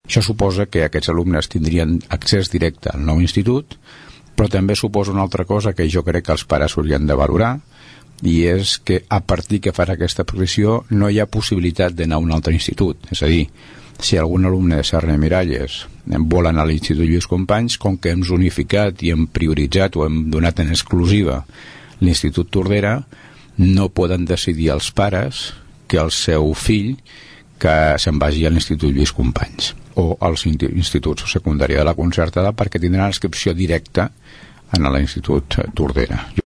Això suposa que aquests alumnes tindrien accés directe al nou institut, però també suposa una altra cosa que jo crec que els pares haurien de valorar, i és que a partir que farà aquesta progressió no hi ha possibilitat d'anar a un altre institut. És a dir, si algun alumne de Serra i Miralles vol anar a l'Institut Lluís Companys, com que hem zonificat i hem prioritzat o hem donat en exclusiva l'Institut Tordera, no poden decidir els pares que el seu fill que se'n vagi a l'Institut Lluís Companys o als instituts secundaris de la concertada, perquè tindran inscripció directa en l'Institut Tordera.